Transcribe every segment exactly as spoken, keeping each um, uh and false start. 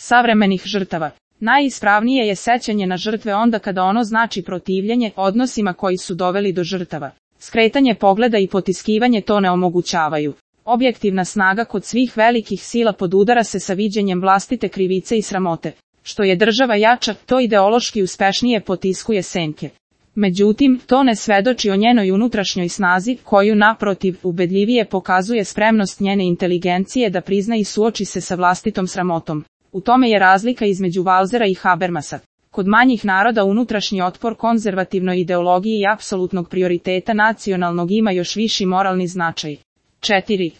savremenih žrtava. Najispravnije je sećanje na žrtve onda kada ono znači protivljenje odnosima koji su doveli do žrtava. Skretanje pogleda i potiskivanje to ne omogućavaju. Objektivna snaga kod svih velikih sila podudara se sa viđenjem vlastite krivice i sramote. Što je država jača, to ideološki uspešnije potiskuje senke. Međutim, to ne svedoči o njenoj unutrašnjoj snazi, koju naprotiv ubedljivije pokazuje spremnost njene inteligencije da prizna i suoči se sa vlastitom sramotom. U tome je razlika između Walsera i Habermasa. Kod manjih naroda unutrašnji otpor konzervativnoj ideologiji i apsolutnog prioriteta nacionalnog ima još viši moralni značaj. četiri.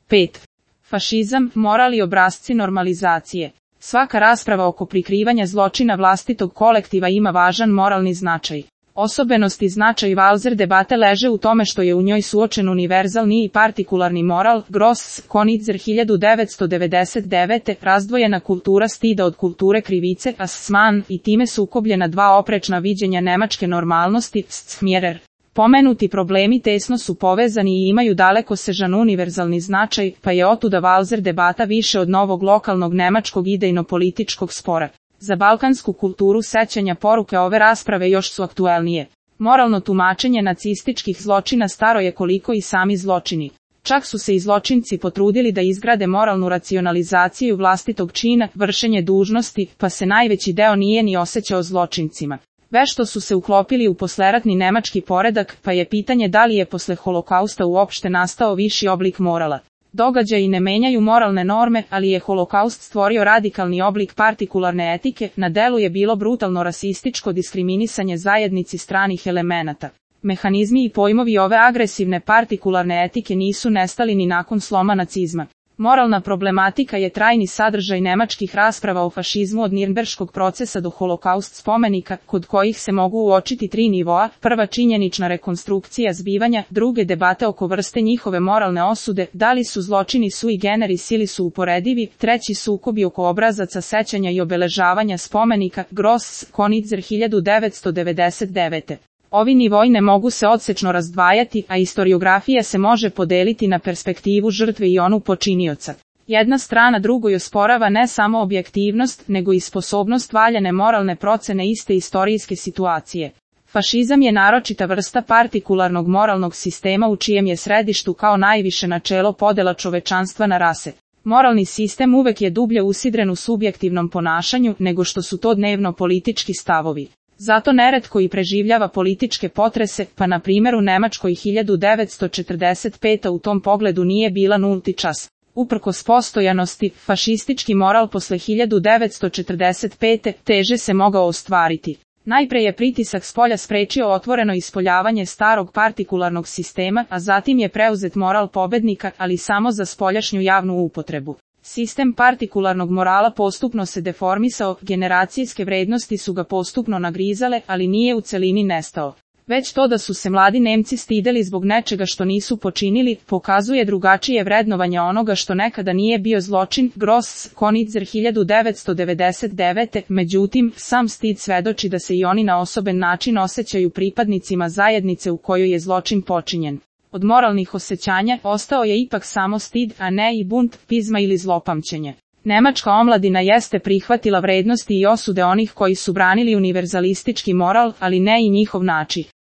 pet. Fašizam, moral i obrasci normalizacije. Svaka rasprava oko prikrivanja zločina vlastitog kolektiva ima važan moralni značaj. Osobenost i značaj Walser debate leže u tome što je u njoj suočen univerzalni i partikularni moral, Gross, Konitzer hiljadu devetsto devedeset devete, razdvojena kultura stida od kulture krivice, Assmann, i time sukobljena dva oprečna viđenja nemačke normalnosti, Smjerer. Pomenuti problemi tesno su povezani i imaju dalekosežan univerzalni značaj, pa je otuda Walser debata više od novog lokalnog nemačkog idejno-političkog spora. Za balkansku kulturu sećanja poruke ove rasprave još su aktuelnije. Moralno tumačenje nacističkih zločina staro je koliko i sami zločini. Čak su se i zločinci potrudili da izgrade moralnu racionalizaciju vlastitog čina, vršenje dužnosti, pa se najveći deo nije ni osjećao zločincima. Vešto su se uklopili u posleratni nemački poredak, pa je pitanje da li je posle holokausta uopšte nastao viši oblik morala. Događaji ne menjaju moralne norme, ali je holokaust stvorio radikalni oblik partikularne etike, na delu je bilo brutalno rasističko diskriminisanje zajednici stranih elemenata. Mehanizmi i pojmovi ove agresivne partikularne etike nisu nestali ni nakon sloma nacizma. Moralna problematika je trajni sadržaj nemačkih rasprava o fašizmu od Nirnberškog procesa do holokaust spomenika, kod kojih se mogu uočiti tri nivoa: prva činjenična rekonstrukcija zbivanja, druge debate oko vrste njihove moralne osude, da li su zločini sui generis ili su uporedivi, treći sukobi oko obrazaca sećanja i obeležavanja spomenika, Gross, Konitzer hiljadu devetsto devedeset devete. Ovi nivoi ne mogu se odsečno razdvajati, a istoriografija se može podeliti na perspektivu žrtve i onu počinioca. Jedna strana drugoj osporava ne samo objektivnost, nego i sposobnost valjane moralne procene iste istorijske situacije. Fašizam je naročita vrsta partikularnog moralnog sistema u čijem je središtu kao najviše načelo podela čovečanstva na rase. Moralni sistem uvek je dublje usidren u subjektivnom ponašanju nego što su to dnevno politički stavovi. Zato neretko i preživljava političke potrese, pa na primjer u Nemačkoj hiljadu devetsto četrdeset pete u tom pogledu nije bila nulti čas. Uprkos postojanosti, fašistički moral posle hiljadu devetsto četrdeset pete teže se mogao ostvariti. Najpre je pritisak spolja sprečio otvoreno ispoljavanje starog partikularnog sistema, a zatim je preuzet moral pobednika, ali samo za spoljašnju javnu upotrebu. Sistem partikularnog morala postupno se deformisao, generacijske vrednosti su ga postupno nagrizale, ali nije u celini nestao. Već to da su se mladi Nemci stideli zbog nečega što nisu počinili, pokazuje drugačije vrednovanje onoga što nekada nije bio zločin, Gross, Konitzer hiljadu devetsto devedeset devete. Međutim, sam stid svedoči da se i oni na osoben način osjećaju pripadnicima zajednice u kojoj je zločin počinjen. Od moralnih osjećanja ostao je ipak samo stid, a ne i bunt, pizma ili zlopamćenje. Nemačka omladina jeste prihvatila vrednosti i osude onih koji su branili univerzalistički moral, ali ne i njihov način.